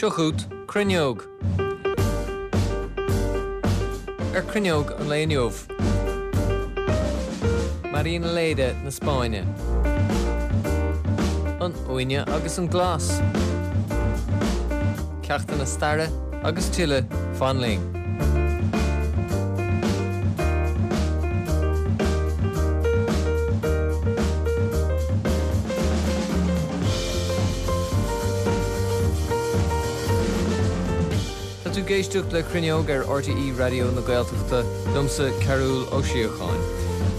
Seo chugat Cruinneog. Ar Cruinneog an lae inniu, Marinaleda na Spáinne, an uaine agus an glas, ceachtanna staire agus tuilleadh, fan linn. Tá tú ag éisteacht le Cruinneog ar RTÉ Raidió na Gaeltachta, liomsa Cearbhall Ó Síocháin.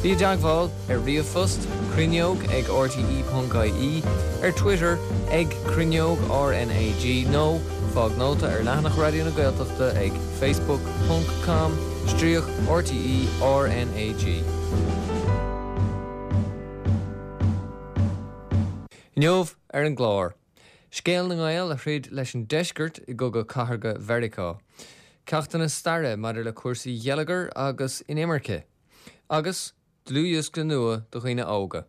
Bí i dteagmháil ar ríomhphost, cruinneog ag rte.ie, ar Twitter ag Cruinneog RnaG nó fág nóta ar leathanach Raidió na Gaeltachta ag facebook ponc com stríoc RTÉ RnaG. Inniu ar an gclár, scéal na nGael a throid leis an deisceart i gCogadh Cathartha Mheiriceá, ceachtanna staire maidir le cúrsaí geilleagair agus inimirce, agus dlúthdhiosca nua do dhaoine óga.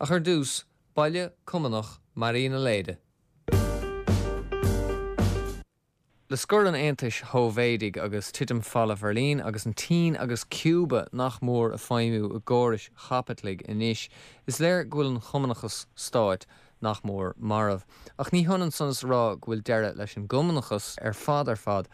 Ach ar dtús, baile cumannach Marinaleda. Le scor an Aontais Shóivéadaigh agus titim Falla Bheirlín agus an tSín agus Cúba nach mór ag feidhmiú i gcórais chaipitligh anois, is léir go bhfuil an cumannachas stáit nach mór marbh. Ach ní hionann san is a rá go bhfuil deireadh leis an gcumannachas ar fad ar fad.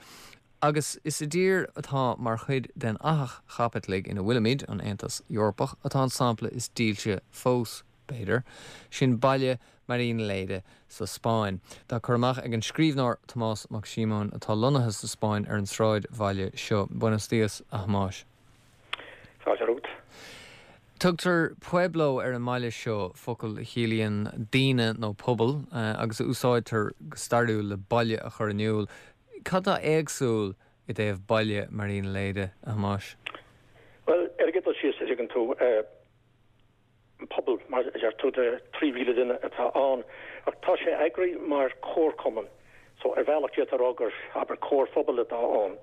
Agus is i dtír atá mar chuid den fhathach chaipitligh ina bhfuilimid, an Aontas Eorpach, atá an sampla is dílse fós. b'fhéidir. Sin baile Marinaleda sa Spáinn. Tá cur amach ag an scríbhneoir Tomás Mac Síomóin, atá lonnaithe sa Spáinn, ar an sráidbhaile seo. Buenos días, a Thomáis. Fáilte romhat. Tugtar pueblo ar an mbaile seo, focal a chiallaíonn daoine nó pobal, agus a úsáidtear go stairiúil le baile a chur in iúl. Cad atá éagsúil i dtaobh baile Marinaleda, a Thomáis? Bhuel, ar an gcéad dul síos, a dtuigeann tú, pobal, mar a deir tú, de 3,000 duine atá ann, ach tá sé eagraithe mar chomharchumann, so ar bhealach d'fhéadfá a rá gur, abair, comharphobal atá ann,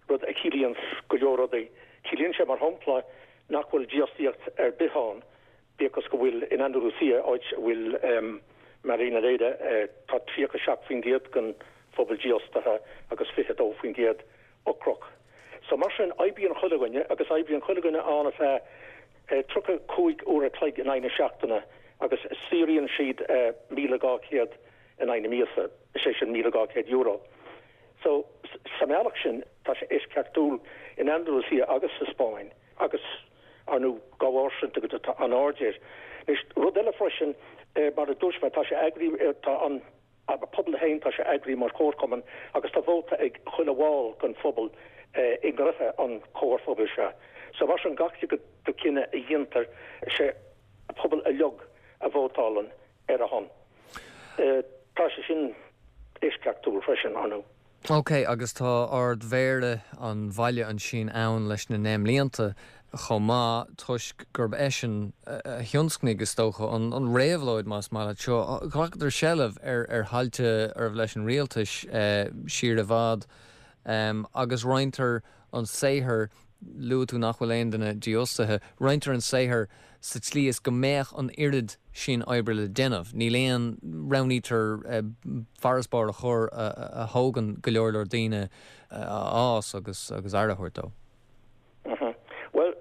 rud a chiallaíonns go leor rudaí. Ciallaíonn sé, mar shampla, nach bhfuil dífhostaíocht ar bith ann, bíodh is go bhfuil in Andalusia, áit a bhfuil Marinaleda, tá 37% den phobal dífhostaithe agus 22% ocrach. So mar sin, oibríonn chuile dhuine, agus oibríonn chuile dhuine ann ar feadh 35 uair a chloig in aghaidh na seachtaine agus saothraíonn siad 1,200 in aghaidh na míosa, is é sin €1,200. So, sa mbealach sin, tá sé eisceachtúil in Andalusia agus sa Spáinn agus, ar ndóigh, dá bharr sin, tá an-aird air. Anois, rud eile freisin, mar a dúirt mé, tá sé eagraithe, tá an. An pobal féin, tá sé eagraithe mar chomharchumann agus tá vóta ag chuile bhall den phobal i ngnoithe an chomharphobail seo. So mar sin, gach cinneadh a dhéantar, sé an pobal uilig a vótálann ar a shon. Tá sé sin eisceachtúil freisin, ar ndóigh. Ok, agus tá Ard-Mhéara an bhaile ansin ann leis na ndeich mblianta chomh maith, toisc gurb eisean a thionscnaigh, is dócha, an réabhlóid, más maith leat seo. Ghlacadar seilbh ar ar thailte arbh leis an rialtas siar i bhfad, agus roinntear an saothar, luaigh tú nach bhfuil aon duine dífhostaithe, roinntear an saothar sa tslí is go mbeadh an oiread sin oibre le déanamh. Níl aon, roghnaítear farasbarr a chur a thógann go leor leor daoine a fhás agus agus aire a thabhairt dó. Bhuel,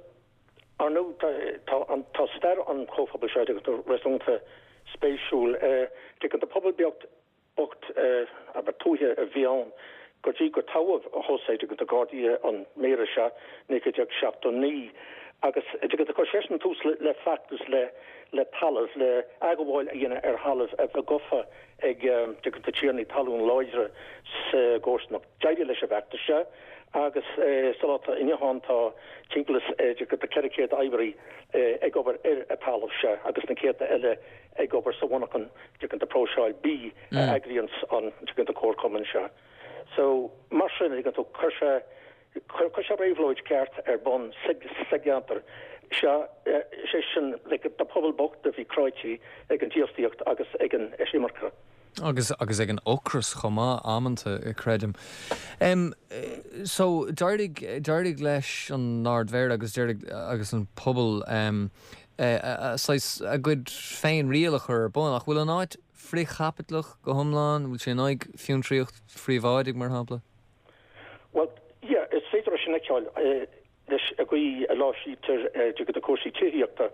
ar ndóigh, tá an, tá stair an chomhphobail seo, réasúnta spéisiúil. Tuigeann tú pobal beag bocht abair tuaithe a bhí ann go dtí gur toghadh José tuigeann tú Guardia an méara seo 1979 agus tuigeann tú chuir seisean tús le feachtas le le talamh le athghabháil a dhéanamh ar thalamh a bhí gofa ag tuigeann tú tiarnaí talún láidre sa gcomharsanacht. D'éirigh leis an bhfeachtas seo agus sa lá atá inniu ann tá timpeall is tuigeann tú 400 oibrí ag obair ar an talamh seo agus na céadta eile ag obair sa mhonarchan tuigeann tú próiseáil bídh a eagraíonns an tuigeann tú comharchumann seo. So, mar sin, tuigeann tú, chuir sé, chuir sé réabhlóid ceart ar bun sa, sa gceantar seo, sé sin, like, do pobal bocht a bhí cráite ag an dífhostaíocht agus ag an eisimirce. Agus, agus ag an ocras chomh maith, amanta, creidim. Em, so, d'éirigh, d'éirigh leis an Ard-Mhéara agus d'éirigh, agus an pobal, em, saghas a gcuid féin-riail a chur ar bun, ach bhfuil an áit. frithchaipitleach go hiomlán? Bhfuil sé in aghaidh fiontraíocht phríobháidigh, mar shampla? Bhuel, yeah, is féidir é sin a fheiceáil leis an gcaoi a láimhsítear de cúrsaí tithíochta.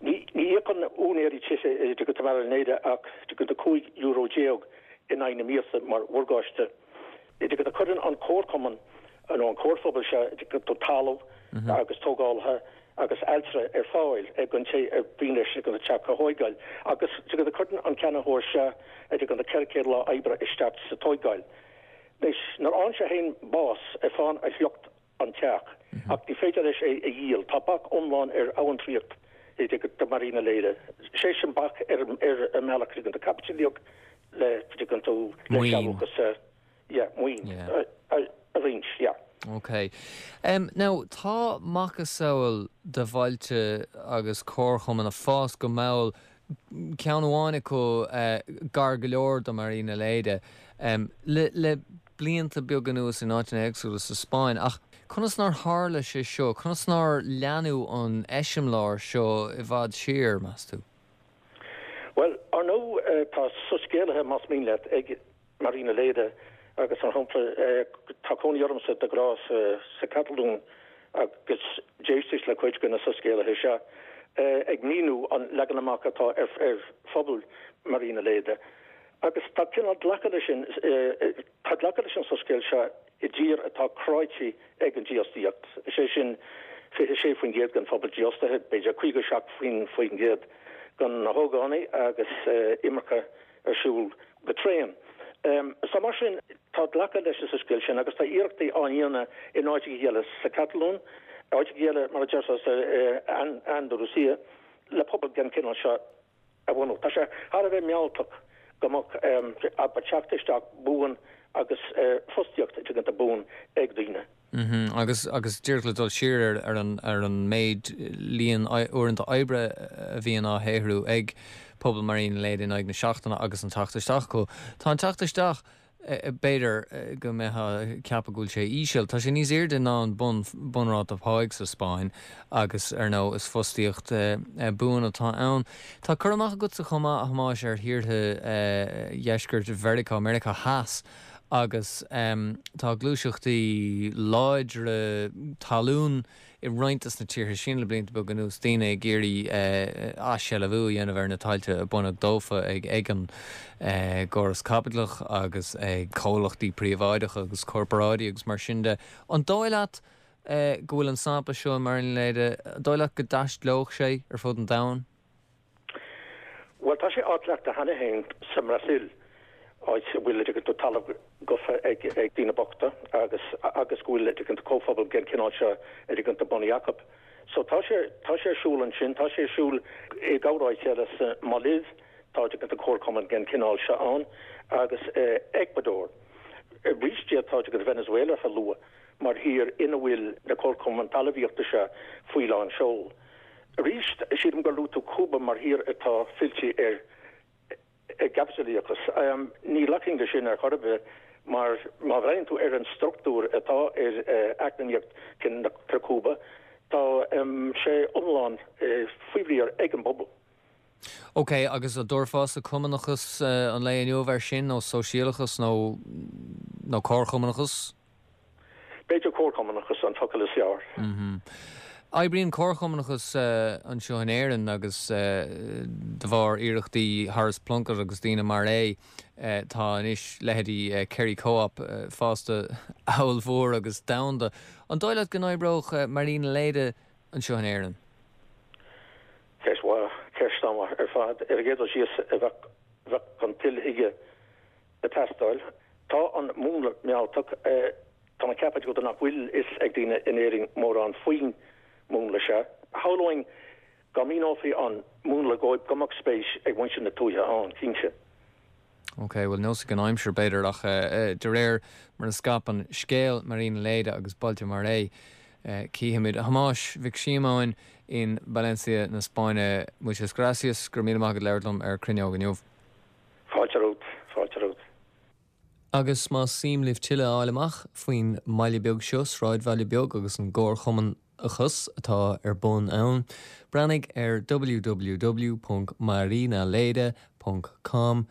Ní íocann úinéirí tithe de Marinaleda ach €15 in aghaidh na míosa mar mhorgáiste. Cuireann an comharchumann nó an comharphobal seo talamh agus tógálaithe agus ailtire ar fáil don té ar mhian leis an teach a thóigeáil agus cuireann an ceannaitheoir seo 400 lá oibre isteach sa tóigeáil. Anois, nuair a fhaigheann sé féin bás, faigheann a shliocht an teach, ach ní féidir leis é a dhíol. Tá bac iomlán ar amhantraíocht de Marinaleda. Sé sin bac ar an mbealach de caipitilíoch le tú le sealúchas yeah, maoin a roinnt, yeah. Ok. Now, tá macasamhail de bhailte agus comharchumainn ag fás go mall ceann amháin acu gar go leor do Marinaleda, le blianta beaga anuas in áiteanna éagsúla sa Spáinn. Ach conas nár tharla sé seo, conas nár leanadh an eiseamláir seo i bhfad siar, meas tú? Bhuel, ar ndóigh, tá soiscéalaithe, más mian leat, ag Marinaleda agus, mar shampla, tá cónaí ormsa de ghnáth sa Chatalóin agus d'éisteas le cuid de na soiscéalaithe seo ag míniú an leagan amach atá ar phobal Marinaleda. Agus tá cineál glactha leis sin, tá glactha leis an soiscéal seo i dtír atá cráite ag an dífhostaíocht, is é sin 26% den phobal dífhostaithe, b'fhéidir 57% de na hógánaigh agus imirce ar siúl go tréan. So mar sin, tá glactha leis an soiscéal sin agus tá iarrachtaí á ndéanamh in áiteacha eile sa Chatalóin, áiteacha eile mar a deirtear sa Andalusia, le pobal den chineál seo a bhunú. Tá sé thar a bheith mealltach go mbeadh abair teacht isteach buan agus fostaíocht tuigtear buan ag daoine. Agus agus díreach le dul siar ar ar an ar an méid líon uaireanta oibre a bhíonn á shaothrú ag pobal Marinaleda in aghaidh na seachtaine agus an teacht isteach acu. Tá an teacht isteach B'fhéidir go mbeifeá ag ceapadh go bhfuil sé íseal. Tá sé níos airde ná an bun bunráta páigh sa Spáinn agus, ar ndóigh, is fostaíocht buan atá ann. Tá cur amach agatsa chomh maith, a Thomáis, ar thíortha dheisceart Mheiriceá, Meiriceá Theas, agus tá gluaiseachtaí láidre talún i roinnt de na tíortha sin le blianta beaga anuas, daoine ag iarraidh athshealbhú a dhéanamh ar na tailte a baineadh dófa ag an gcóras caipitleach agus ag comhlachtaí príobháideacha agus corparáidí agus mar sin de. An dóigh leat go bhfuil an sampla seo i Marinaleda, an dóigh leat go dtaistealódh sé ar fud an domhain? Bhuel, tá sé á chleachtadh cheana féin sa mBrasaíl, áit a bhfuil, tuigeann tú, talamh gofa ag daoine bochta agus agus go bhfuil, tuigeann tú, comhphobal den chineál seo, tuigeann tú, bunaithe acu. So tá sé, tá sé ar siúl ansin, tá sé ar siúl i gcorr-áit eile sa Mhaláiv, tá, tuigeann tú, comharchumann den chineál seo ann agus Eacuadór. Arís d'fhéadfá, tuigeann tú, Venezuela a lua mar thír ina bhfuil na comharchumainn talmhaíochta seo faoi lán seol. Arís, sílim gur luaigh tú Cúba mar thír atá fillte ar an gcaipitleachas. Ní ghlacfainn leis sin ar chor ar bith mar má bhreathnaíonn tú ar an struchtúr atá ar eacnamaíocht Chúba, tá sé iomlán faoi riar ag an bpobal. Ok, agus an dtabharfása cumannachas an lae inniu air sin, nó sóisialachas, nó nó comharchumannachas? B'fhéidir comharchumannachas an focal is fearr. Oibríonn comharchumannachas anseo in Éirinn agus de bharr iarrachtaí Horace Plunkett agus daoine mar é tá anois leithéidí Kerry Co-op fásta ollmhór agus domhanda. An dóigh leat go n-oibreodh Marinaleda anseo in Éirinn? Ceist mhaith, ceist an-mhaith ar fad. Ar an gcéad dul síos bheadh an toil chuige ag teastáil. Tá an múnla mealltach. Tá mé ag ceapadh go nach bhfuil fhios ag daoine in Éirinn mórán faoin múnla seo. Shamhlóinn dá míneofaí an múnla dhóibh go mbeadh spéis ag muintir na tuaithe ann, cinnte. Ok, bhuel neosfaidh an aimsir b'fhéidir ach de réir mar a scaipeann scéal Marinaleda agus bailte mar é, cífimid. A Thomáis Mhic Síomóin in Valencia na Spáinne, muchas gracias, go raibh míle maith agat labhairt liom ar Cruinneog inniu. Fáilte romhat, fáilte romhat. Agus más suim libh tuilleadh a fháil amach faoin mbaile beag seo, sráidbhaile beag, agus an gcomharchumann. Chumannachas atá ar bun ann. Breathnaigh ar www.marinaleda.com.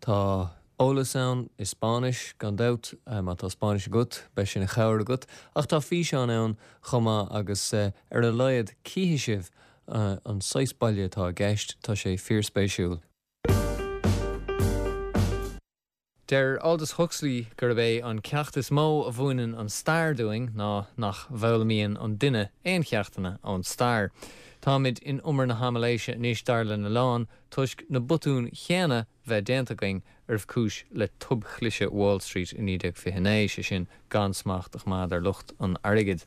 Tá eolas ann i Spáinnis, gan dabht, má tá Spáinnis agat, beidh sé ina chabhair agat, ach tá físeán ann chomh maith agus ar a laghad cífidh sibh an saghas baile atá i gceist, tá sé fíorspéisiúil. Deir Aldous Huxley gurb é an ceacht is mó a mhúineann an stair dúinn ná nach bhfoghlaimíonn an duine aon cheachtanna ón stair. Táimid in umar na haimiléise anois dar lena lán toisc na botúin chéanna bheith déanta againn arbh cúis le tobchliseadh Wall Street i 1929, sé sin, gan smacht a choimeád ar lucht an airgid.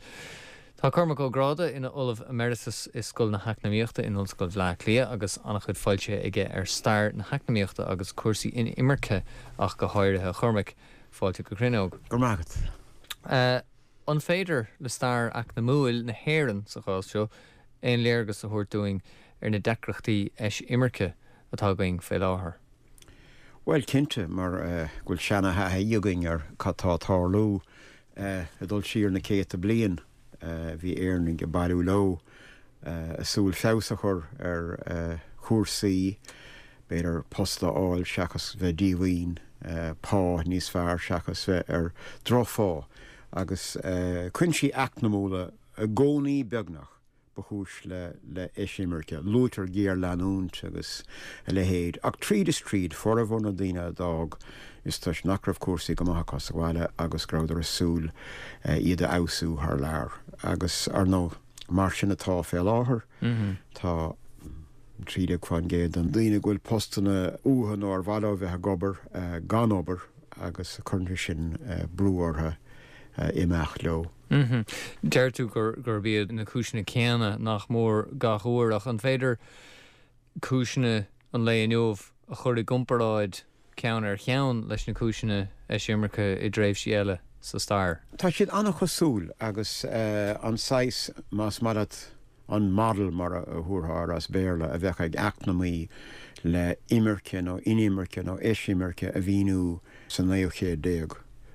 Tá Cormac Ó Gráda ina Ollamh Emeritus i Scoil na hEacnamaíochta in Ollscoil Bhleá Cliath agus an-chuid foilsithe aige ar stair na heacnamaíochta agus cúrsaí inimirce ach go háirithe. A Chormaic, fáilte go Cruinneog. Go raibh maith agat. An féidir le stair eacnamúil na hÉireann, sa chás seo, aon léargas a thabhairt dúinn ar na deacrachtaí eisimirce atá againn fé láthair? Bhuel, cinnte, mar go bhfuil seana-thaithí againn ar cad tá ag tarlú. Ag dul siar na céadta bliain, bhí Éireannaigh ag bailiú leo, ag súil feabhas a chur ar chúrsaí, b'fhéidir post a fháil seachas bheith díomhaoin, pá níos fearr seachas bheith ar drochphá, agus cuinsí eacnamúla i gcónaí beagnach. ba chúis le heisimirce. Luaitear géarleanúint agus a leithéid, ach tríd is tríd, formhór na ndaoine a d'fhág, is toisc nach raibh cúrsaí go maith acu sa bhaile agus go rabhadar ag súil iad a fheabhsú thar lear. Agus, ar ndóigh, mar sin atá fé láthair. Tá 13% de dhaoine go bhfuil postanna uathu nó ar mhaith leo bheith ag obair, gan obair agus cuireann sé sin brú orthu imeacht leo. Deir tú gurb iad na cúiseanna céanna nach mór gach uair, ach an féidir cúiseanna an lae inniu a chur i gcomparáid ceann ar cheann leis na cúiseanna eisimirce i dtréimhsí eile sa stair? Tá siad an-chosúil agus an saghas, más maith leat, an model mar a thabharfá air as Béarla, a bheadh ag eacnamaí le imirce nó inimirce nó eisimirce a mhíniú sa naoú chéad déag.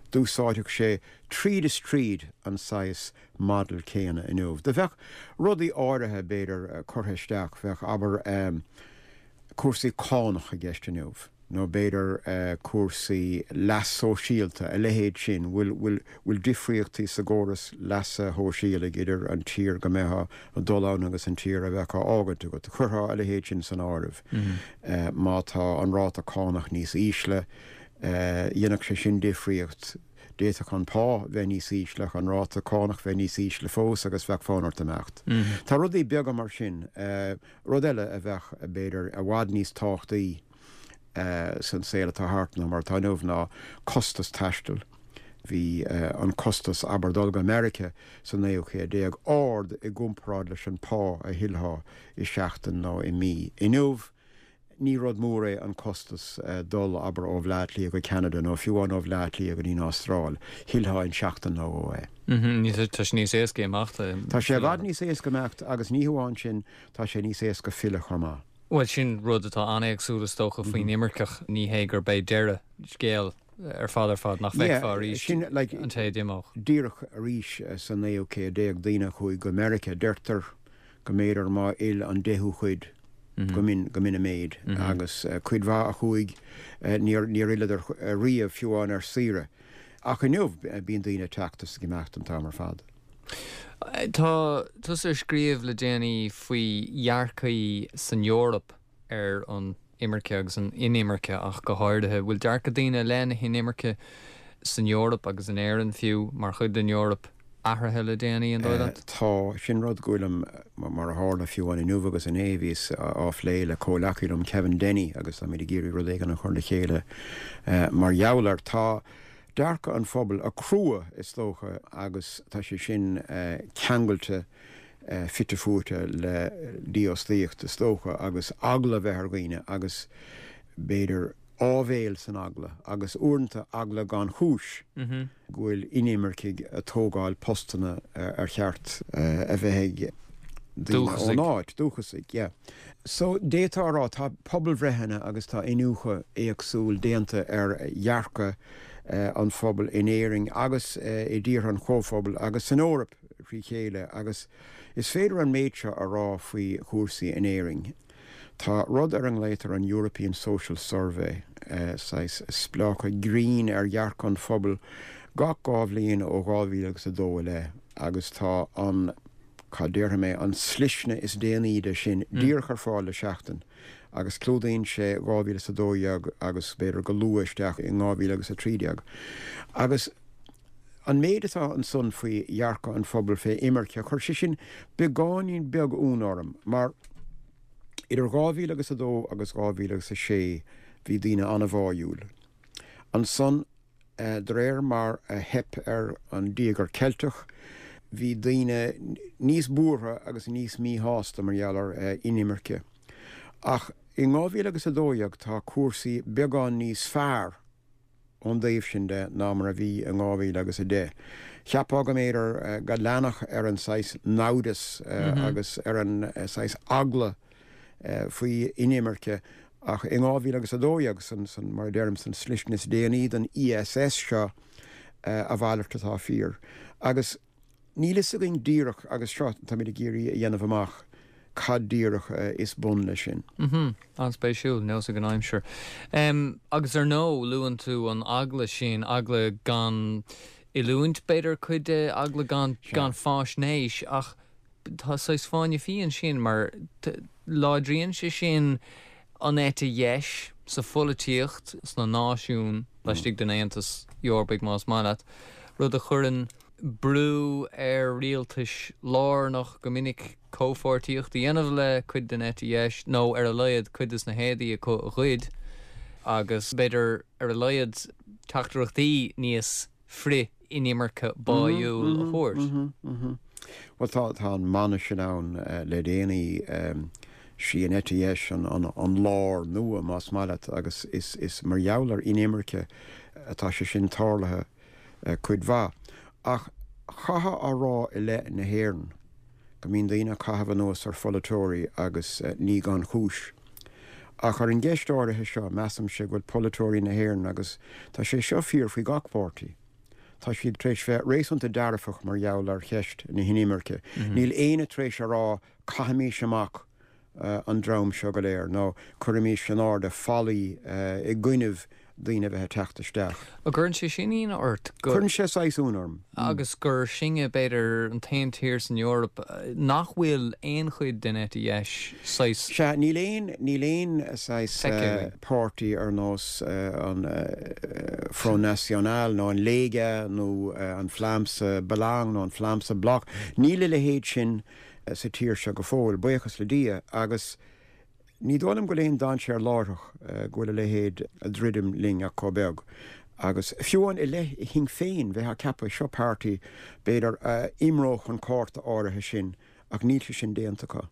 D'úsáidfeadh sé tríd is tríd an saghas model céanna inniu. Do bheadh rudaí áirithe, b'fhéidir, curtha isteach, bheadh, abair, cúrsaí cánach i gceist inniu, nó b'fhéidir cúrsaí leas sóisialta, a leithéid sin, bhfuil, bhfuil, bhfuil difríochtaí sa gcóras leasa shóisialaigh idir an tír go mbeifeá ag dul ann agus an tír a bheadh á fhágaint agat. Chuirfeá a leithéid sin san áireamh. Má tá an ráta cánach níos ísle, dhéanfadh sé sin difríocht. D'fhéadfadh an pá bheith níos ísle ach an ráta cánach bheith níos ísle fós agus bheadh fonn ort imeacht. Tá rudaí beaga mar sin. Rud eile a bheadh, b'fhéidir, i bhfad níos tábhachtaí san saol atá thart ná mar atá inniu ná costas taistil. Bhí an costas, abair, dul go Meiriceá sa naoú céad déag ard i gcomparáid leis an pá a thuillfeá i seachtain nó i mí. Inniu, Ní rud mór é an costas dul, abair, ó Bhleá Cliath go Ceanada nó fiú amháin ó Bhleá Cliath go dtí an Astráil. Thuillfeá in seachtain nó dhó é. Tá sé níos éasca imeacht. Tá sé i bhfad níos éasca imeacht agus ní hamháin sin, tá sé níos éasca filleadh chomh maith. Bhuel, sin rud atá an-éagsúil is dócha faoin imirceach. Ní hé gurb é deireadh scéil ar fad ar fad nach bhfeicfeá arís an té a d'imeodh. Díreach arís sa naoú céad déag, daoine a chuaigh go Meiriceá, deirtear go mb'fhéidir má fhill an deichiú cuid, go mb'in, go mb'in an méid. Agus cuid mhaith a chuaigh, níor, níor fhilleadar riamh, fiú amháin ar saoire. Ach inniu, bíonn daoine ag teacht is ag imeacht an t-am ar fad. Tá tusa ag scríobh le déanaí faoi dhearcaí san Eoraip ar an imirce agus an inimirce ach go háirithe. Bhfuil dearcadh daoine i leith na hinimirce san Eoraip agus in Éirinn fiú, mar chuid den Eoraip, athraithe le déanaí, an dóigh leat? Tá. Sin rud go bhfuilim, mar a tharla fiú amháin inniu agus inné, bhíos á phlé le comhleacaí liom, Kevin Denny, agus táimid ag iarraidh rud éigin a chur le chéile mar gheall air. Tá dearcadh an phobail ag crua, is dócha, agus tá sé sin ceangailte fite fuaite le dífhostaíocht, is dócha, agus eagla a bheith ar dhaoine agus, b'fhéidir, áibhéil san eagla, agus uaireanta eagla gan chúis, go bhfuil inimircigh ag tógáil postanna ar cheart a bheith ag daoine ón áit, dúchasaigh, yeah. So, d'fhéadfá a rá, tá pobalbhreitheanna agus tá iniúchadh éagsúil déanta ar dhearcadh an phobail in Éirinn agus i dtíortha an Chomhphobail agus san Eoraip. thrí chéile agus is féidir an méid seo a rá faoi chúrsaí in Éirinn. Tá rud ar a nglaotar an European Social Survey, saghas spleáchadh grinn ar dhearcadh an phobail gach 2 bhliain ó 2002 i leith agus tá an, cad déarfaidh mé, an slisne is déanaí de sin díreach ar fáil le seachtain agus clúdaíonn sé 2012 agus b'fhéidir go luath isteach in 2013. Agus an méid atá ansan faoi dhearcadh an phobail fé imirce, chuir sé sin beagáinín beag ionadh orm mar idir 2002 agus 2006 bhí daoine an-bháúil. Ansan, de réir mar a theip ar an dTíogar Ceilteach, bhí daoine níos buartha agus níos míshásta mar gheall ar inimirce. Ach in 2012 tá cúrsaí beagán níos fearr ón dtaobh sin de ná mar a bhí in 2010. Cheapfá go mb'fhéidir go leanfadh ar an saghas naimhdeas agus ar an saghas eagla faoi inimirce ach in 2012, san, san, mar a deirim, san slisne is déanaí den ESS seo, a mhalairt atá fíor. Agus níl fhios againn díreach, agus seo, táimid ag iarraidh a dhéanamh amach cad díreach is bun leis sin. Mm-hmm. An-spéisiúil, nós ag an aimsir. Agus ar ndóigh, luann tú an eagla sin, eagla gan oiliúint, b'fhéidir, cuid de, eagla gan, gan fáisnéis, ach Tá saghas fáinne fí ansin mar láidríonn sé sin an eite dheis sa pholaitíocht sna náisiúin laistigh den Aontas Eorpaigh más maith leat, rud a chuireann brú ar rialtais lárnach go minic comhpháirtíocht a dhéanamh le cuid den eite dheis nó ar a laghad cuid des na héadaí acu a ghoid agus b'fhéidir ar a laghad teachtaireachtaí níos frith-inimirce báúil a thabhairt. Bhuel, tá, tá an mana sin ann le déanaí, sí an eite dheis an, an lár nua, más maith leat, agus is, is mar gheall ar inimirce atá sé sin tarlaithe cuid mhaith. Ach chaithfeá a rá i leith na hÉireann, go mbíonn daoine ag caitheamh anuas ar pholaiteoirí agus ní gan chúis. Ach ar an gceist áirithe seo, measaimse go bhfuil polaiteoirí na hÉireann, agus tá sé seo fíor faoi gach páirtí, tá siad tar éis bheith réasúnta dearfach mar gheall ar cheist na hinimirce. Níl éinne tar éis a rá 'caithimís amach an dream seo go léir' nó 'cuirimís in airde fallaí i gcoinnibh daoine a bheith ag teacht isteach. An gcuireann sé sin ionadh ort go. Cuireann sé saghas ionadh orm. Agus gur sinne, b'fhéidir, an t-aon tír san Eoraip nach bhfuil aon chuid den eite dheis saghas. Sea, níl aon, níl aon saghas páirtí ar nós an Front National nó an Lega nó an Vlaamse Belang nó an Vlaamse Blok, níl a leithéid sin sa tír seo go fóill, buíochas le Dia, agus ní dóigh liom go bhfuil aon dainséar láithreach go bhfuil a leithéid ag druidim linn ach chomh beag. Agus fiú amháin i leith Shinn Féin, bheifeá ag ceapadh, seo páirtí, b'fhéidir, a imreodh an cárta áirithe sin, ach níl sé sin déanta acu.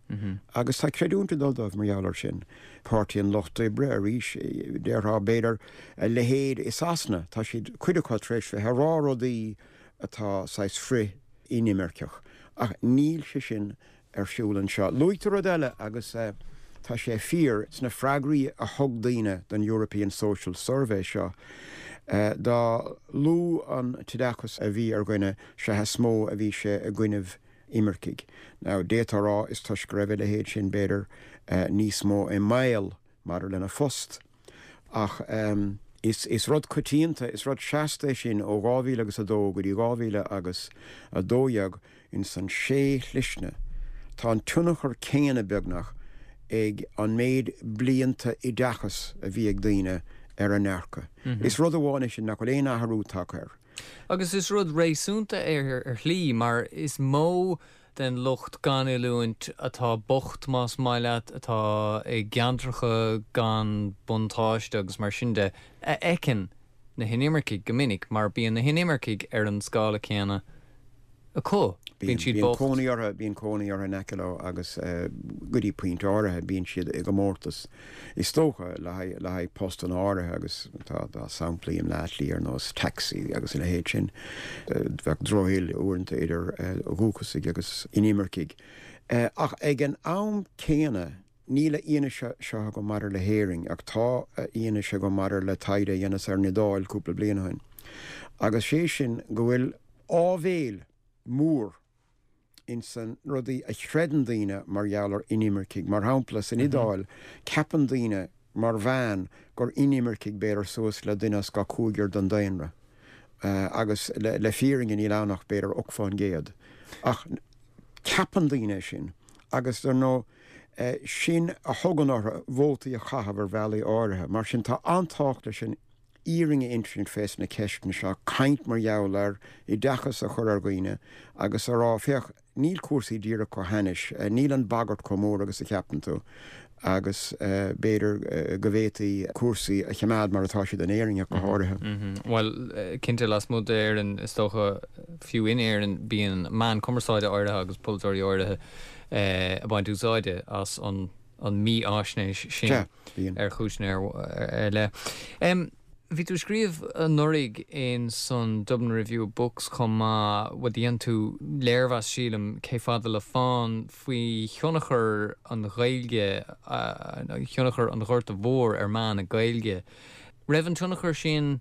Agus tá creidiúint ag dul dóibh mar gheall air sin. Páirtí an Lucht Oibre, arís, déarfá, b'fhéidir, a leithéid i Sasana, tá siad, cuid acu, tar éis bheith ag rá rudaí atá saghas frith-inimirceach. Ach níl sé sin ar siúl anseo. Luaigh tú rud eile agus tá sé fíor, sna freagraí a thug daoine don European Social Survey seo, dá lú an t-oideachas a bhí ar dhuine, sea is mó a bhí sé i gcoinnibh imircigh. Now, d'fhéadfá a rá is toisc go raibh a leithéid sin, b'fhéidir, níos mó i mbaol maidir lena phost. Ach is rud coitianta, is rud seasta é sin ó 2000 agus 2 go dtí 2012 ins an sé shlisne. Tá an tionchar céanna, beagnach, ag an méid blianta oideachais a bhí ag daoine ar a ndearcadh. Is rud amháin é sin nach bhfuil aon athrú tagtha air. Agus is rud réasúnta é ar shlí, mar is mó den lucht gan oiliúint atá bocht, más maith leat, atá i gceantracha gan buntáiste agus mar sin de, a fheiceann na hinimircigh go minic, mar bíonn na hinimircigh ar an scála céanna acu. Bíonn siad bocht. Bíonn cónaí orthu, bíonn cónaí orthu in aice leo agus go dtí pointe áirithe bíonn siad i gcomórtas, is dócha, le haghaidh, le haghaidh postanna áirithe agus tá, tá samplaí i mBleá Cliath ar nós taxi agus a leithéid sin. Bheadh drochshaol uaireanta idir dhúchasaigh agus inimircigh. Ach ag an am céanna, níl a fhianaise seo agam maidir le hÉirinn, ach tá a fhianaise agam maidir le taighde a dheineas ar an Iodáil cúpla bliain ó shin, agus sé sin go bhfuil áibhéil mhór. ins an rudaí a chreideann daoine mar gheall ar inimircigh. Mar shampla, san Iodáil, ceapann daoine, mar mheán, gur inimircigh b'fhéidir suas le duine as gach cúigear den daonra. Agus le fírinne níl ann ach b'fhéidir 8%. Ach ceapann daoine é sin. Agus dar ndóigh, sin a thugann orthu vótaí a chaitheamh ar bhealaí áirithe. Mar sin, tá an-tábhacht leis an fhírinne a insint fés na ceisteanna seo, caint mar gheall air, oideachas a chur ar dhaoine agus a rá, féach, níl cúrsaí díreach chomh hainnis, níl an bhagairt chomh mór agus a cheapann tú agus b'fhéidir go bhféadfaí cúrsaí a choimeád mar atá siad in Éirinn ach go háirithe. Bhuel, cinnte, lasmuigh d'Éirinn, is dócha, fiú in Éirinn, bíonn meáin cumarsáide áirithe agus polaiteoirí áirithe ag baint úsáide as an an mífháisnéis sin ar chúiseanna ar leith. Bhí tú ag scríobh anuraidh in san Dublin Review of Books chomh maith, bhuel dhein tú léirmheas sílim, Cé Fada le Fán, faoi thionchar an Ghaeilge, thionchar an Ghorta Mhóir ar mheath na Gaeilge. Raibh an tionchar sin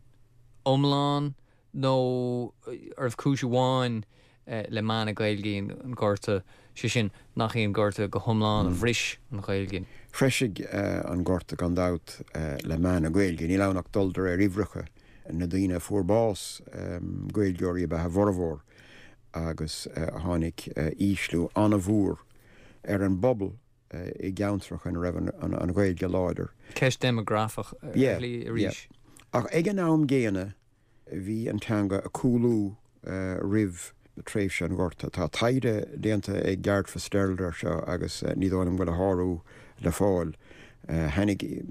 iomlán nó arbh cúis amháin le meath na Gaeilge an Gorta, sé sin, nach í an Gorta go hiomlán a bhris an Ghaeilge? Threisigh an Gorta gan dabht le meath na Gaeilge. Níl ann ach dul de réir uimhreacha na daoine a fuair bás, Gaeilgeoirí ab ea a bhformhór, agus tháinig ísliú an-mhór ar an bpobal i gceantracha ina raibh an Ghaeilge láidir. Ceist déimeagrafach ar shlí arís. Ach ag an am gcéanna, Bhí an teanga ag cúlú roimh tréimhse an Ghorta. Tá taighde déanta ag Garret FitzGerald air seo agus ní dóigh liom go bhfuil a shárú le fáil. Thaitnigh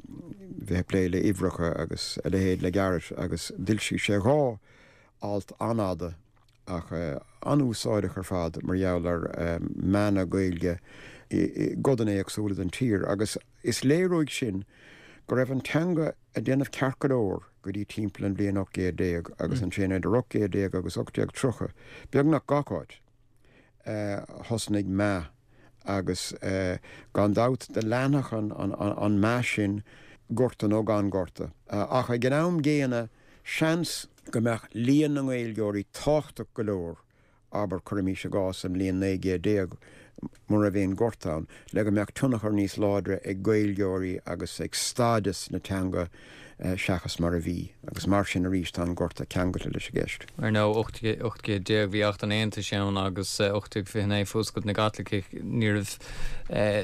bheith ag plé le uimhreacha agus a leithéid le Garret agus d'fhoilsigh sé 2 alt an-fhada ach an-úsáideach ar fad mar gheall ar mheath na Gaeilge i gcodanna éagsúla den tír agus is léir uaidh sin go raibh an teanga ag déanamh ceart go leor go dtí timpeall an bhliain 1800 agus ansin idir 1800 agus 1830, beagnach gach áit, thosnaigh meath agus gan dabht do leanfadh an meath sin gorta nó gan gorta. Ach ag an am gcéanna seans go mbeadh líon na nGaeilgeoirí tábhachtach go leor abair, cuirimís i gcás, sa mbliain 1900, mura raibh aon ghorta ann, le go mbeadh tionchar níos láidre ag Gaeilgeoirí agus ag stádas na teanga seachas mar a bhí. Agus mar sin arís tá an gorta ceangailte leis an gceist. Ar ndóigh, 1800 bhí Acht an Aontais ann agus 1829 Fuascailt na gCaitliceach. Ní raibh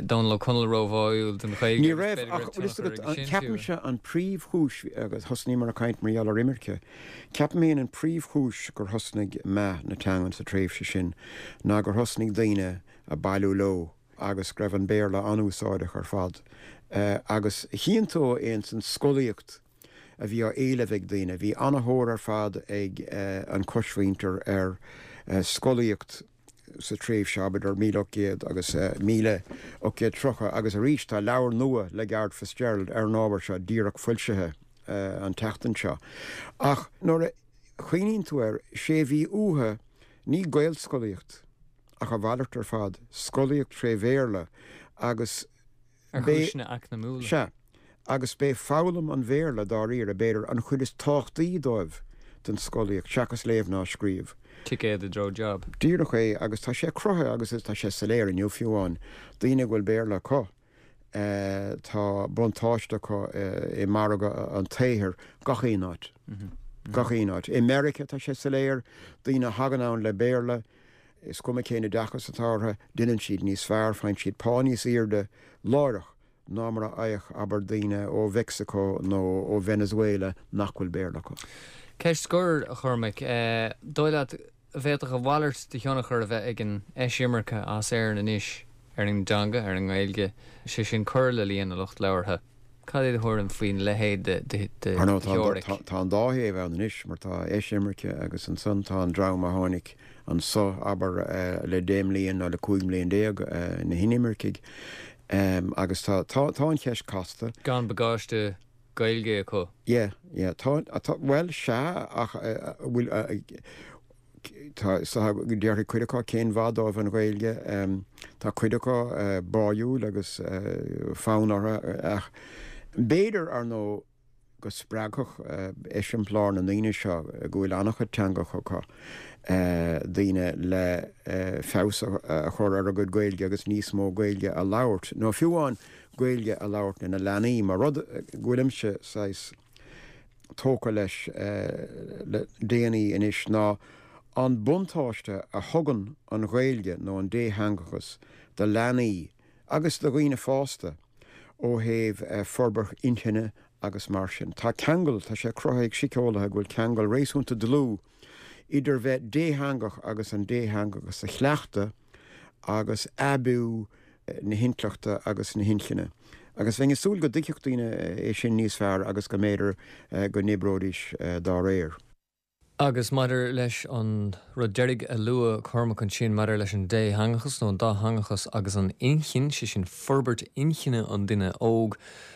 Dónall Ó Conaill róbháúil don Ghaeilge Ní raibh, ach bhfuil fhios agat, ceapaimse an príomhchúis, agus thosnaíomar ag caint mar gheall ar imirce, Ceapaim féin an príomhchúis gur thosnaigh meath na teangan sa tréimhse sin ná gur thosnaigh daoine a' bailiú leo agus go raibh an Béarla an-úsáideach ar fad. Agus chíonn tú é ins an scolaíocht a bhí á éileamh ag daoine. Bhí an-thóir ar fad ag an choismhuintir ar scolaíocht sa tréimhse, abair, idir 1800 agus 1830 agus arís tá leabhar nua le Garret FitzGerald ar an ábhar seo díreach foilsithe an tseachtain seo. Ach nuair a chuimhníonn tú air, sé a bhí uathu ní Gaelscolaíocht ach a mhalairt ar fad, scolaíocht tré Bhéarla agus Ar chúiseanna eacnamúla. Sea. Agus b'é foghlaim an Bhéarla, dáiríre, b'fhéidir, an chuid is tábhachtaí dóibh den scolaíocht, seachas léamh ná scríobh. Ticéad i dtreo job. Díreach é, agus tá sé cruthaithe, agus tá sé soiléir inniu fiú amháin, daoine a bhfuil Béarla acu, tá buntáiste acu i margadh an tsaothair gach aon áit. Gach aon áit. I Meiriceá tá sé soiléir, daoine a thagann ann le Béarla, Is cuma cén oideachas atá orthu, déanann siad níos fearr, faigheann siad pá níos airde láithreach ná mar a fhaigheadh, abair, daoine ó Mheicsiceo nó ó Venezuela nach bhfuil Béarla acu. Ceist scoir, a Chormaic. Dóigh leat a bhféadfadh a mhalairt de thionchar a bheith ag an eisimirce as Éirinn anois ar an dteanga, ar an nGaeilge, sé sin cur le líon na lucht labhartha? Cad é do thuairim faoin leithéid de Ar ndóigh, tá, tá an dá thaobh ann anois, mar tá eisimirce agus ansan tá an dream a tháinig anso, abair, le deich mblian nó le 15 mbliain, na hinimircigh. Agus tá, tá, tá an cheist casta. Gan bagáiste Gaeilge acu. Yeah, yeah, tá, tá, bhuel, sea, ach bhfuil, Tá, déarfaidh cuid acu cén mhaith dóibh an Ghaeilge. Tá cuid acu báúil agus fonn orthu ach b'fhéidir, ar ndóigh, go spreagfadh eiseamplár na ndaoine seo, go bhfuil an-chuid teangacha acu, daoine le feabhas a chur ar a gcuid Gaeilge agus níos mó Gaeilge a labhairt, nó fiú amháin Gaeilge a labhairt lena leanaí, mar rud go bhfuilimse saghas tógtha leis le déanaí anois ná an buntáiste a thugann an Ghaeilge nó an détheangachas do leanaí agus do dhaoine fásta ó thaobh forbairt inchinne agus mar sin. Tá ceangal, tá sé cruthaithe ag síceolaithe go bhfuil ceangal réasúnta dlúth idir bheith détheangach agus an détheangachas a chleachtadh agus aibiú na hintleachta agus na hinchinne. Agus bheinn ag súil go dtuigfeadh daoine é sin níos fearr agus go mb'fhéidir go n-oibreoidís dá réir. Agus maidir leis an rud deiridh a luaigh Cormac ansin maidir leis an détheangachas nó an dátheangachas agus an inchinn, sé sin forbairt inchinne an duine óg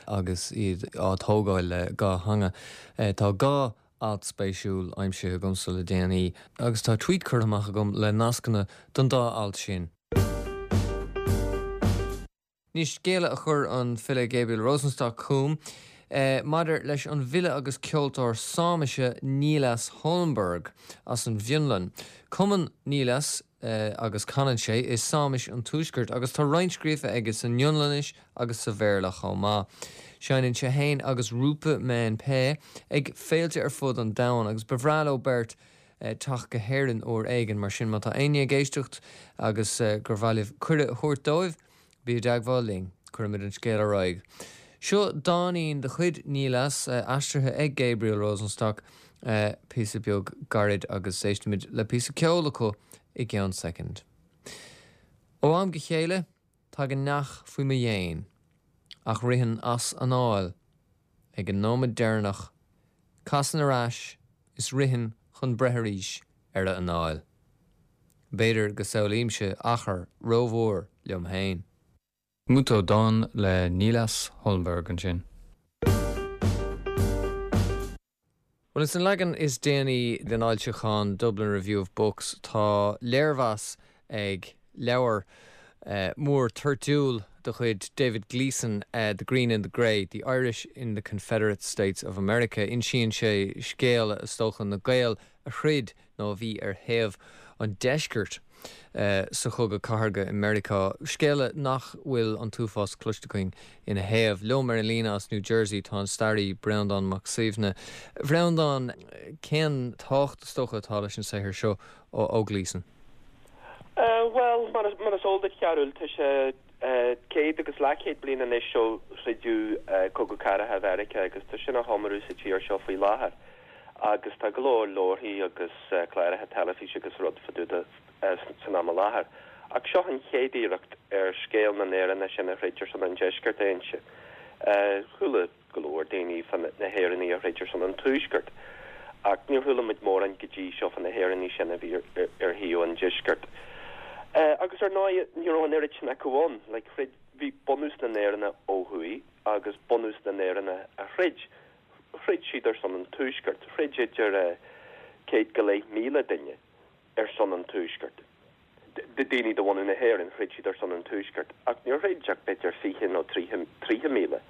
agus iad á dtógáil le dhá theanga, tá dhá alt spéisiúil aimsithe agamsa le déanaí agus tá tweet curtha amach agam le nascanna don dá alt sin. Anois, scéala a chuir an file Gabriel Rosenstock chugam maidir leis an bhfile agus ceoltóir Sáimise Niillas Holmberg as an bhFionlainn. Cumann Niillas agus canann sé i Sáimis an Tuaiscirt agus tá roinnt scríofa aige san Fhionlainnis agus sa Bhéarla chomh maith. Seinneann sé féin agus Roope Mäenpää ag féilte ar fud an domhain agus ba bhreá leo beirt teacht go hÉirinn uair éigin. Mar sin má tá éinne ag éisteacht agus gur mhaith libh cuireadh a thabhairt dóibh, Bí i dteagmháil linn, cuirfimid an scéal ar aghaidh. Seo dáinín de chuid Niillas, aistrithe ag Gabriel Rosenstock, píosa beag gairid agus éistfimid le píosa ceoil acu i gceann soicind. Ó am go chéile, tagann neach faoi mo dhéin, ach ritheann as anáil ag an nóiméad deireanach, casann ar ais is ritheann chun breith arís ar a anáil. B'fhéidir go samhlaímse achar rómhór liom féin. Mutto, dán le Niillas Holmberg ansin. Bhuel, ins an leagan is déanaí den fhoilseachán Dublin Review of Books tá léirmheas ag leabhar mór toirtiúil de chuid David Gleeson, The Green and the Grey, The Irish in the Confederate States of America. Insíonn sé scéal, is dócha, na Gael a throid nó a bhí ar thaobh an deiscirt sa Chogadh Cathartha i Meiriceá, scéala nach bhfuil an t-uafás cloiste againn ina thaobh. Liom ar an líne as New Jersey tá an staraí Breandán Mac Suibhne. A Bhreandáin, cén tábhacht is dócha atá leis an saothar seo ó Gleeson? Bhuel, mar is eol duit, a Chearbhaill, tá sé céad agus leathchéad bliain anois ó throideadh Cogadh Cathartha Mheiriceá agus tá sin á chomóradh sa tír seo faoi láthair. Agus tá go leor leabharthaí agus cláracha teilifíse agus rud fá dtaobh de san am i láthair. Ach seo an chéad iarracht ar scéal na nÉireannach sin a throid ar son an Deiscirt a inse. Chuala go leor daoine fá na hÉireannaigh a throid ar son an Tuaiscirt, ach níor chuala muid mórán go dtí seo fá na hÉireannaigh sin a bhí ar thaobh an Deiscirt. Agus ar ndóigh, ní raibh an oiread sin acu ann. Like, throid, bhí bunús na nÉireannach ó thuaidh agus bunús na nÉireannach a throid, throid siad ar son an Tuaiscirt. Throid idir 100,500 duine ar son an Tuaiscirt. Daoine de bhunadh na hÉireann, throid siad ar son an Tuaiscirt, ach níor throid ach b'fhéidir 20 nó 30,000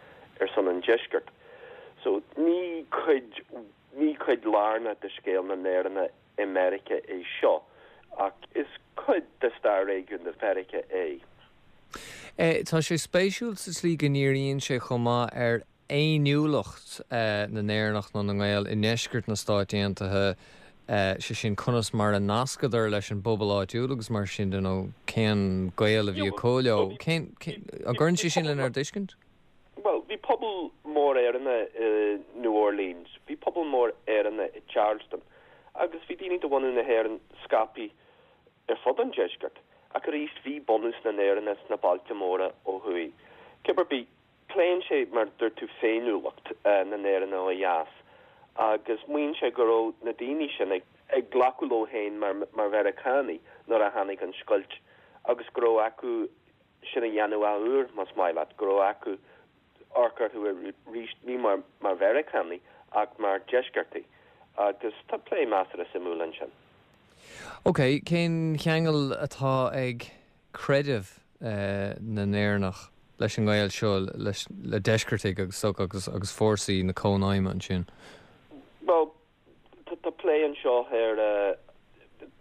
ar son an Deiscirt. So ní cuid, ní cuid lárnach de scéal na nÉireannach i Meiriceá é seo, ach is cuid de stair réigiúnda Mheiriceá é. Tá sé spéisiúil sa tslí go ndíríonn sé chomh maith ar fhéiniúlacht na nÉireannach nó na nGael i ndeisceart na Stáit Aontaithe, sé sin conas mar a nascadar leis an bpobal áitiúil agus mar sin de, nó cén gaol a bhí acu leo. Cén, an gcuireann sé sin lenár dtuiscint? Bhuel, bhí pobal mór Éireannach i New Orleans, bhí pobal mór Éireannach i Charleston agus bhí daoine de bhunadh na hÉireann scaipthe ar fud an deiscirt. Ach arís, bhí bunús na nÉireannach sna bailte móra ó thuaidh. Cibé ar bith, Pléann sé, mar a dúirt tú, féiniúlacht na nÉireannach ó dheas agus maíonn sé go raibh na daoine sin ag glacadh leo féin mar Mheiriceánaigh nuair a tháinig an scoilt agus go raibh acu sin a dhéanamh athuair, más maith leat, go raibh acu amharc orthu arís ní mar Mheiriceánaigh ach mar Dheisceartaigh agus tá plé measartha suimiúil ansin. Ok, cén cheangal atá ag creideamh na nÉireannach. leis an ngaol seo leis le deisceartaigh agus so agus agus fórsaí na Cónaidhme ansin. Bhuel, tá plé anseo ar,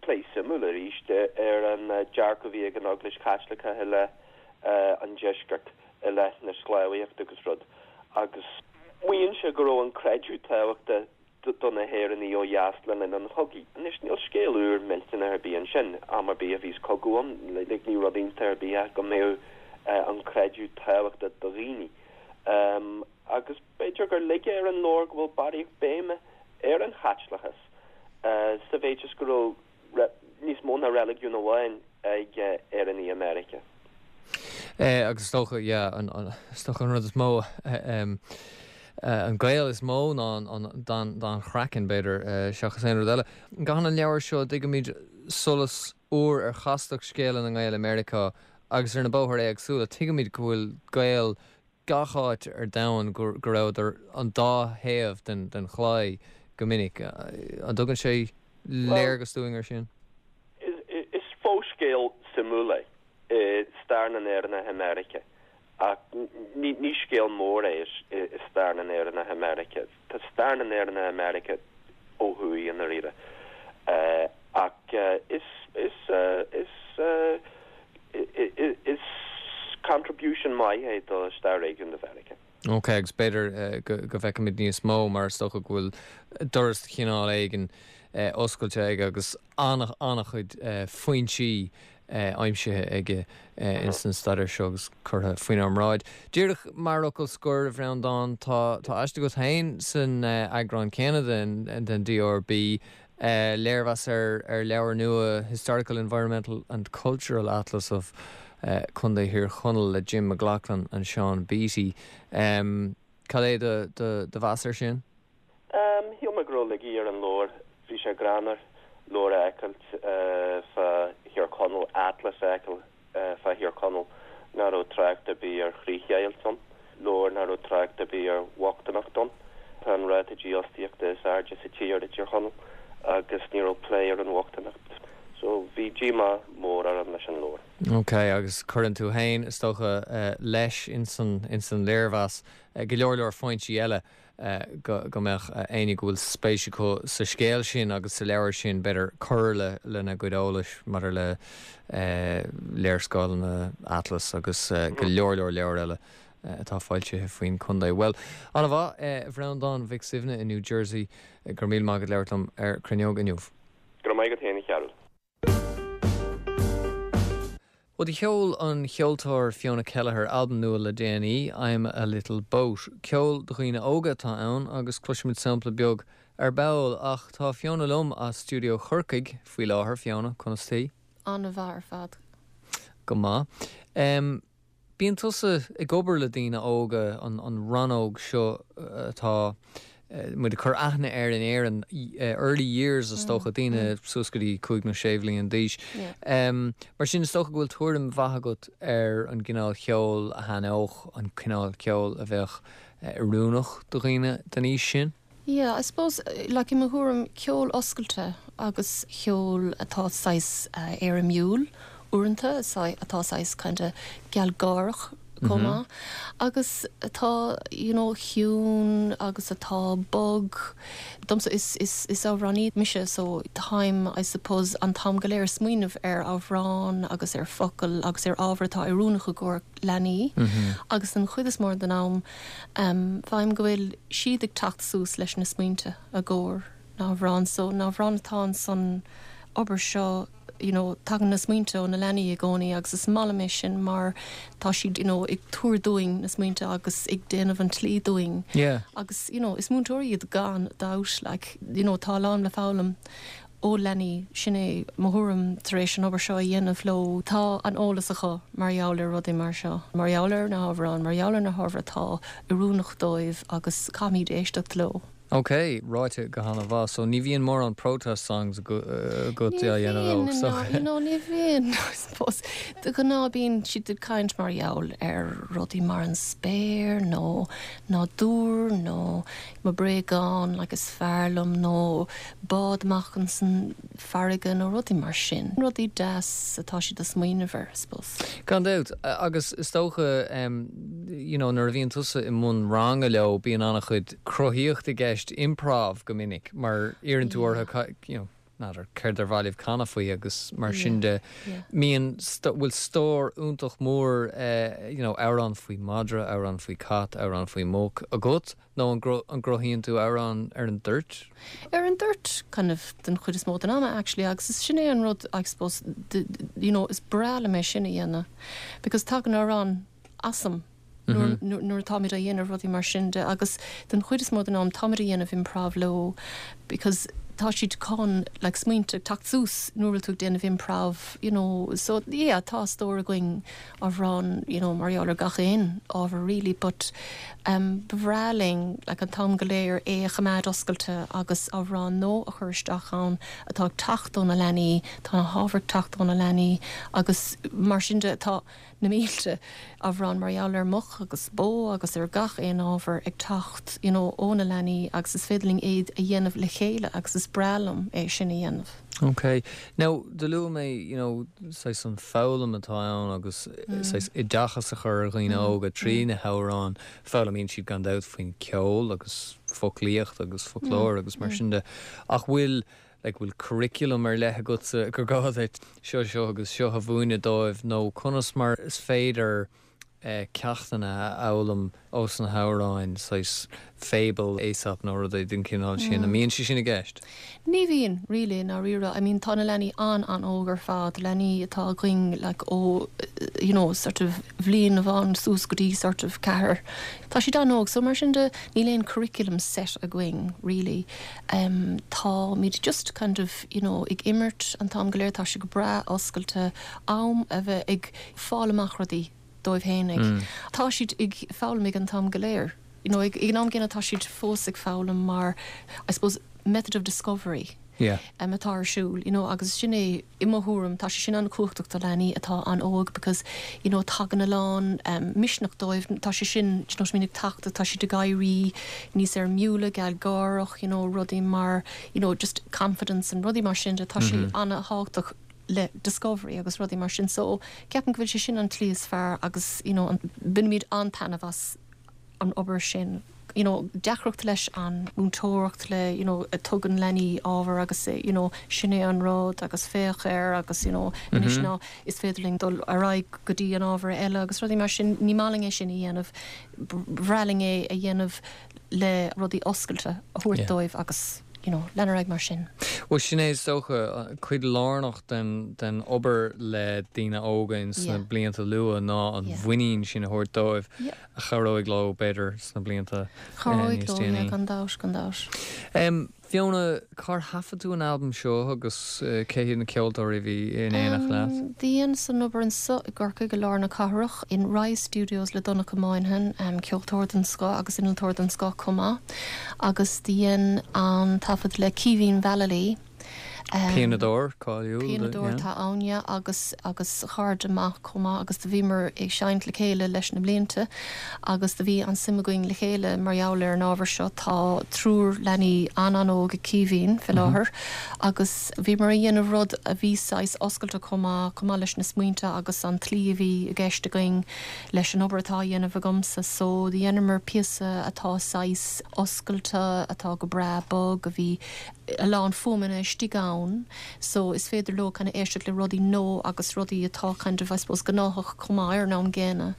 plé suimiúil arís, ar an dearcadh a bhí ag an Eaglais Chaitliceach i leith an deiscirt, i leith na sclábhaíochta agus rud, agus maíonn sé go raibh an creideamh tábhachtach do na hÉireannaigh ó dheas le linn an chogaidh. Anois, níl scéal úr millteanach ar bith ansin, am ar bith a bhíos cogadh ann, like, ní rud iontach ar bith é go mbeadh an creideamh tábhachtach do dhaoine. Agus b'fhéidir gur laige ar an leabhar go bhfuil barraíocht béime ar an Chaitliceachas, sa mhéid is go raibh níos mó ná reiligiún amháin ag Éireannaigh i Meiriceá. Agus is dócha, yeah, is dócha an rud is mó, an gaol is mó ná an dath craicinn, b'fhéidir, seachas aon rud eile. An gcaitheann an leabhar seo, tuigimid, solas úr ar chastacht scéala na nGael i Meiriceá agus ar na bóithre éagsúla. Tuigimid go bhfuil Gaeil gach áit ar domhan, go rabhadar an dá thaobh den chlaí go minic. An dtugann sé léargas dúinn ar sin? Is fo-scéal suimiúil é i stair na nÉireannach i Meiriceá ach ní scéal mór é i stair na nÉireannach i Meiriceá. Tá stair na nÉireannach i Meiriceá ó thuaidh i ndáiríre ach is is is is contribution maith é do stair réigiúnda Mheiriceá. Ok, agus b'fhéidir go bhfeicfimid níos mó mar is dócha go bhfuil doras de chineál éigin oscailte aige agus an-chuid foinsí aimsithe aige ins an staidéar seo agus curtha faoinár mbráid. Díreach mar fhocal scoir, a Bhreandáin, tá aiste agat féin san eagrán céanna den DRB, léirmheas ar leabhar nua Historical, Environmental and Cultural Atlas of Contae Thír Chonaill le Jim McLaughlin and Sean Beatty. Cad é do mheas air sin? Shíl mé go raibh laigí ar an leabhar. Bhí sé greannmhar leabhar a fheiceáilt fá Thír Chonaill, atlas a fheiceáil fá Thír Chonaill nach raibh trácht ar bith ar chríochdheighilt ann, leabhar nach raibh trácht ar bith ar bhochtaineacht ann. Tá an ráta dífhostaíochta is airde sa tír i dTír Chonaill agus ní raibh plé ar an bhochtaineacht. So bhí díomá mór orm leis an leabhar. Ok, agus cuireann tú féin, is dócha, leis ins an léirmheas go leor leor foinsí eile go mbeadh éinne go bhfuil spéis acu sa scéal sin agus sa leabhar sin, b'fhéidir, cur lena gcuid eolais maidir le léarscáileanna, atlas agus go leor leor leabhar eile atá foilsithe faoin chontae. Bhuel, an-mhaith, a Bhreandáin Mhic Suibhne i New Jersey, go raibh míle maith agat labhairt liom ar Cruinneog inniu. Go raibh maith agat féin, a Chearúil. Bhuel, do sheol an cheoltóir Fiona Kelleher albam nua le déanaí, I'm a Little Boat. Ceol do dhaoine óga atá ann agus cloisfimid sampla beag ar ball ach tá Fiona liom as stiúideo Chorcaigh faoi láthair. Fiona, conas taoi? An-mhaith ar fad. Go maith. Bíonn tusa ag obair le daoine óga, an rannóg seo atá muid ag cur aithne air in Éirinn, early years is dócha, daoine suas go dtí 5 nó 6 bhliain d'aois. Mar sin is dócha go bhfuil tuairim mhaith agat ar an gcineál cheoil a thaitneodh, an cineál ceoil a bheadh oiriúnach do dhaoine den aois sin? Yeah, I suppose, like i mo thuairim, ceol oscailte agus ceol atá saghas éirimiúil uaireanta, atá saghas kinda gealgháireach chomh maith, agus atá, you know, ciúin agus atá bog. Domsa, is, is, is amhránaí mise so táim, I suppose, an t-am go léir ag smaoineamh ar amhráin agus ar focail agus ar ábhar atá oiriúnach i gcomhair leanaí agus den chuid is mó den am, Faighim go bhfuil siad ag teacht suas leis na smaointe i gcomhair na hamhrán so na hamhráin atá ansan obair seo you know tagann na smaointe ó na leanaí i gcónaí agus is maith liom é sin mar tá siad you know ag tabhairt dúinn na smaointe agus ag déanamh an tslí dúinn Yeah. agus you know is múinteoirí iad gan dabht like you know tá a lán le foghlaim ó leanaí, sin é mo thuairim tar éis an obair seo a dhéanamh leo. Tá an eolas acu mar gheall ar rudaí mar seo, mar gheall ar na hamhráin, mar gheall ar na hábhair atá oiriúnach dóibh agus caithfimid éisteacht leo. Ok, ráite go han-mhaith. So ní bhíonn mórán protest songs agat á dhéanamh leo, so. Ní bhíonn, no, ní bhíonn, I suppose. De ghnáth bíonn siad ag caint mar gheall ar rudaí mar an spéir nó nádúr nó mo bréagán like is fearr liom nó bád amach insan farraige nó rudaí mar sin. Rudaí deas atá siad ag smaoineamh air, I suppose. Gan dabht. Agus is dócha, you know, nuair a bhíonn tusa i mbun ranga leo, bíonn an-chuid cruthaíocht i gceist, improv go minic, mar iarrann tú orthu, you know, n'fheadar, céard ar mhaith libh canadh faoi agus mar sin de. Mbíonn, bhfuil stór iontach mór, you know, amhrán faoi madra, amhrán faoi cat, amhrán faoi muc agat? Nó an gcruthaíonn tú amhrán ar an dtoirt? Ar an dtoirt, kind of, den chuid is mó den ama actually agus is sin é an rud I suppose, you know, is breá liom é sin a dhéanamh because tagann amhrán asam nuair nuair atáimid á dhéanamh rudaí mar sin de agus den chuid is mó den am táimid a dhéanamh improv leo because tá siad chun like smaointe ag teacht suas nuair a bhfuil tú ag déanamh improv you know so yeah tá stór againn amhrán you know mar gheall ar gach aon ábhar really but um ba bhreá linn like an t-am go léir é a choimeád oscailte agus amhrán nua a chur isteach ann atá ag teacht ó na leanaí tá na hábhair ag teacht ó na leanaí agus mar sin de tá na mílte amhrán mar gheall ar muc agus bó agus ar gach aon ábhar ag teacht you know ó na leanaí agus is féidir linn iad a dhéanamh le chéile agus is breá liom é sin a dhéanamh. Ok. Now, do luaigh mé you know saghas an foghlaim atá ann agus saghas oideachas a chur ar dhaoine óga trí na hamhráin. Foghlaimíonn siad gan dabht faoin ceol agus foclaíocht agus foclóir agus mar sin de. Ach bhfuil like bhfuil curriculum ar leith agatsa gur gá duit seo, seo agus seo a mhúineadh dóibh nó conas mar is féidir ceachtanna a fhoghlaim ós na hamhráin, saghas fable Aesop nó rudaí den chineál sin, an mbíonn sé sin i gceist? Ní bhíonn, really, i ndáiríre. I mean tá na leanaí an-an-óg ar fad, leanaí atá againn like ó you know sort of bhliain amháin suas go dtí sort of ceathair. Tá siad an-óg so mar sin de níl aon curriculum set againn really. Em táimid just kind of you know ag imirt an t-am go léir, tá sé go breá oscailte, am a bheith ag fáil amach rudaí dóibh fhéinig. Tá siad ag foghlaim ag an t-am go léir, you know ag an am gcéanna tá siad fós ag foghlaim mar I suppose method of discovery Yeah. em atá ar siúl you know agus sin é i mo thuairim tá sé sin an-chumhachtach do leanaí atá an-óg because you know tagann a lán em misneach dóibh tá sé sin do you know what I mean ag teacht tá siad ag éirí níos éirmiúla gealgháireach you know rudaí mar you know just confidence and rudaí mar sin de tá sé an-thábhachtach le discovery agus rudaí mar sin so ceapaim go bhfuil sé sin an tslí is fearr agus you know an bainimid an-taitneamh as an obair sin you know deacracht leis an múinteoireacht le you know tugann leanaí ábhar agus you know sin é an rud agus féach air agus you know anois ná is féidir linn dul ar aghaidh go dtí an ábhar eile agus rudaí mar sin ní maith linn é sin a dhéanamh bhreá linn é a dhéanamh le rudaí oscailte a thabhairt dóibh agus you know lean ar aghaidh mar sin. Bhuel sin é is dócha cuid lárnach den den obair le daoine óga ins na blianta luath ná an mhuinín sin a thabhairt dóibh a chabhróidh leo b'fhéidir sna blianta Chabhróidh níos leo, yeah, déanaí. gan dabht, gan dabht. Fiona, cár thaifead tú an albam seo agus cé hiad na ceoltóirí a bhí in éineacht leat? Dheineas an obair anso i gCorcaigh i lár na cathrach, in Rise Studios le Donncha Moynihan, ceoltóir den scoth agus innealtóir den scoth chomh maith, agus do dhein an taifead le Caoimhín Vallely. Pianadóir cáiliúil. Pianadóir atá ann, yeah, agus agus cairde maith chomh maith agus do bhíomar ag seinnt le chéile leis na blianta agus do bhí an-suim againn le chéile mar gheall ar an ábhar seo. Tá triúr leanaí an-an-óg ag Caoimhín fé láthair agus bhíomar a dhéanamh rud a bhí saghas oscailte chomh maith, chomh maith leis na smaointe agus an tslí a bhí i gceist againn leis an obair atá á dhéanamh agamsa. So do dheineamar píosa atá saghas oscailte, atá go breá bog, a bhí a lán fuaimeanna istigh ann so is féidir leo kind of éisteacht le rudaí nua agus rudaí atá kind of I suppose gnáthach chomh maith ar an am gcéanna.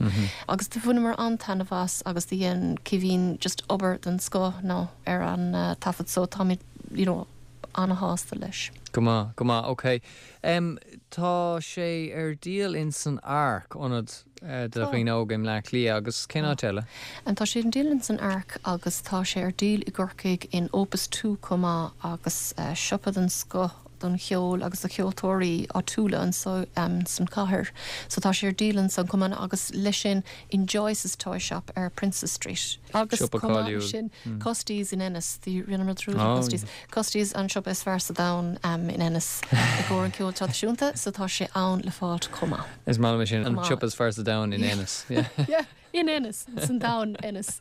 Agus do bhaineamar an-taitneamh as agus do dhein Caoimhín just obair den scoth no ar an taifead so táimid you know an-shásta leis. Go maith, go maith, ok. Em, tá sé ar díol in san Ark, ionad do dhaoine óga i mBleá Cliath agus cén áit eile? Tá sé ar díol in san Ark agus tá sé ar díol i gCorcaigh in Opus Two chomh maith agus siopa den scoth. don cheol agus do cheoltóirí áitiúla anso san chathair. So tá sé ar díol ansan chomh maith agus leis sin in Joyce's Toy Shop ar Princes Street. Agus Siopa chomh maith cáiliúil. leis sin Custie's in Ennis, rinneamar dearúd ar Custie's. Custie's an siopa is fearr sa domhan in Ennis i gcomhair an ceol traidisiúnta so tá sé ann le fáilt chomh maith. Is maith liom é sin, an Chomh maith. siopa is fearr sa domhan in Ennis. Yeah. In Ennis, san domhan Ennis.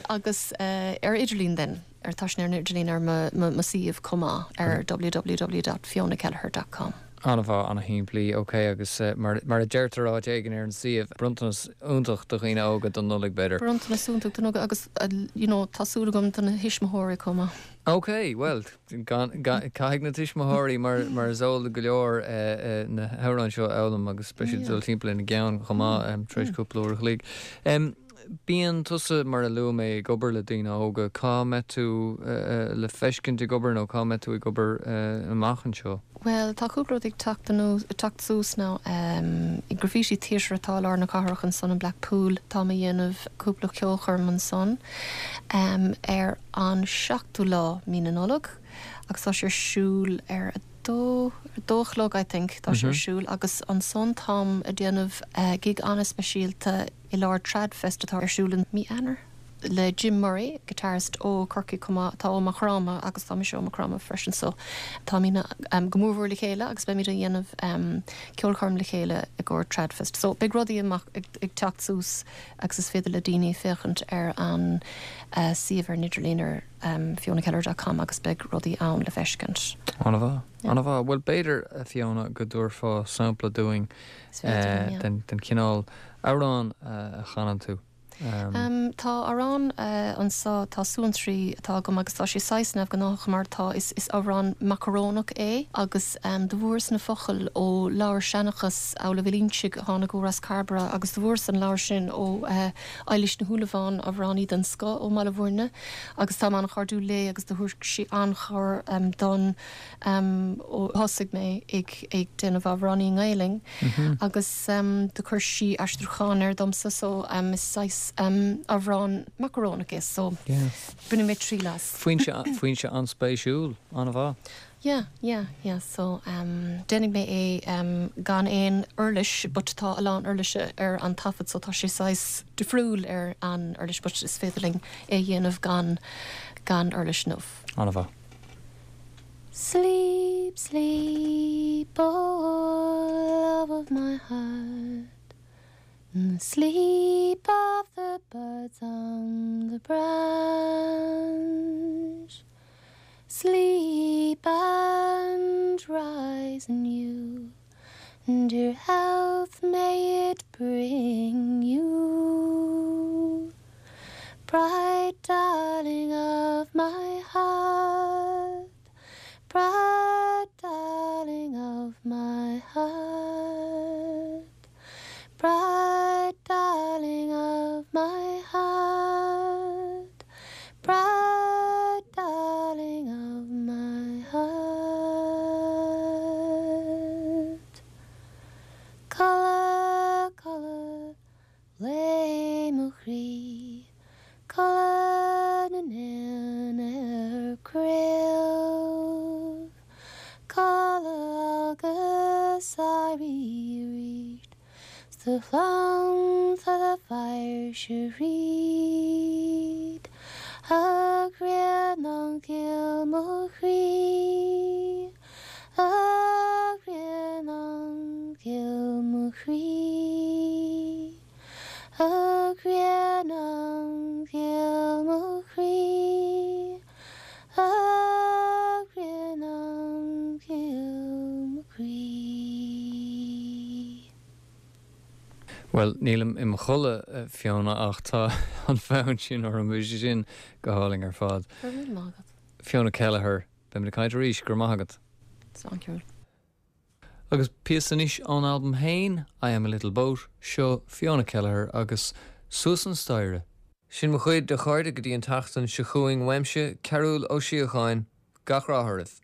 Agus ar idirlíon then, ar tá sin ar an idirlíon ar mo mo suíomh chomh maith ar www dot fionakelleher dot com. An-mhaith, an-shimplí, ok agus mar mar a deirtear áit éigin ar an suíomh, bronntanas iontach do dhaoine óga don Nollaig b'fhéidir. Bronntanas iontach don óga agus you know tá súil agam do na thuismitheoirí chomh maith. Ok, bhuel gan gan caithfidh na tuismitheoirí mar mar is eol do go leor na hamhráin seo a fhoghlaim agus beidh siad ag dul timpeall ina gceann chomh maith tar éis cúpla uair a chloig. Bíonn tusa, mar a luaigh mé, ag obair le daoine óga. Cá mbeidh tú le feiscint ag obair nó cá mbeidh tú ag obair amach anseo? Bhuel, tá cúpla rud ag teacht anuas, ag teacht suas now. I Graffiti Theatre atá i lár na cathrach ansan i Blackpool, táim a dhéanamh cúpla ceolchoirm ansan ar an seachtú lá mí na Nollag agus tá sé ar siúl ar a dó, ar a dó a chlog I think, tá sé ar siúl agus ansan táim a déanamh gig an-speisialta i lár Tradfest atá ar siúl i mí Eanáir le Jim Murray, guitarist ó Corcaigh chomh maith, atá ó Maigh Chromtha agus tá mise ó Maigh Chromtha freisin so táimidne go mór mhór le chéile agus beimid a dhéanamh ceolchoirm le chéile i gcomhair Tradfest. So beidh rudaí amach ag teacht suas agus is féidir le daoine féachaint ar an suíomh ar an idirlíon ar fionakelleher dot com agus beidh rudaí ann le feiscint. An-mhaith, an-mhaith. Bhuel b'fhéidir, a Fiona, go dtabharfá sampla dúinn den chineál amhrán a chanann tú. Tá amhrán anso, tá suantraí atá agam agus tá sé saghas neamhghnáthach mar tá, is amhrán macarónach é agus do bhfuaireas na focail ó leabhar seanchas Amhlaoibh Uí Loingsigh a tháinig ó Ros Cairbre agus do bhfuaireas an leabhar sin ó Eilís Ní Shúilleabháin, amhránaí den scoth ó mBaile Bhuirne agus táim an-chairdiúil léi agus do thabhair sí an-chabhair dom ó thosaigh mé ag ag déanamh amhránaí i nGaelainn agus do chuir sí aistriúchán air domsa so is saghas amhrán macarónach é so bainfidh mé triail as. Foinse foinse an-spéisiúil, an-mhaith. Yeah, yeah, yeah so déanfaidh mé é gan aon uirlis but tá a lán uirlise ar an taifead so tá sé saghas difriúil ar an uirlis but is féidir linn é a dhéanamh gan gan uirlis inniu. An-mhaith. Sleep, sleep, oh love of my heart, in the sleep of the birds on the branch. Sleep and rise anew, and your health may it bring you. Bright darling of my heart, bright darling of my heart, bright darling of my heart, bright darling of my heart. Codladh, codladh, le mo chroí, codladh na n-éan ar craobh, codladh agus éirí arís 's do chlann 's do phairse thríd, a ghrianán ghil mo chroí, a ghrianán ghil mo chroí. A ghrianán ghil mo chroí, a ghrianán ghil mo chroí. Bhuel, nílim i mo chodladh, a Fiona, ach tá an fonn sin orm, bhí sé sin go hálainn ar fad. Go raibh míle maith agat. Fiona Kelleher, beimid ag caint arís, go raibh maith agat. Slán Cearbhall. Agus píosa anois ón albam féin, I Am A Little Boat, seo Fiona Kelleher agus Suas an Staighre. Sin mo chuid, a chairde, go dtí an tseachtain seo chugainn uaimse, Cearbhall Ó Síocháin, gach rath oraibh.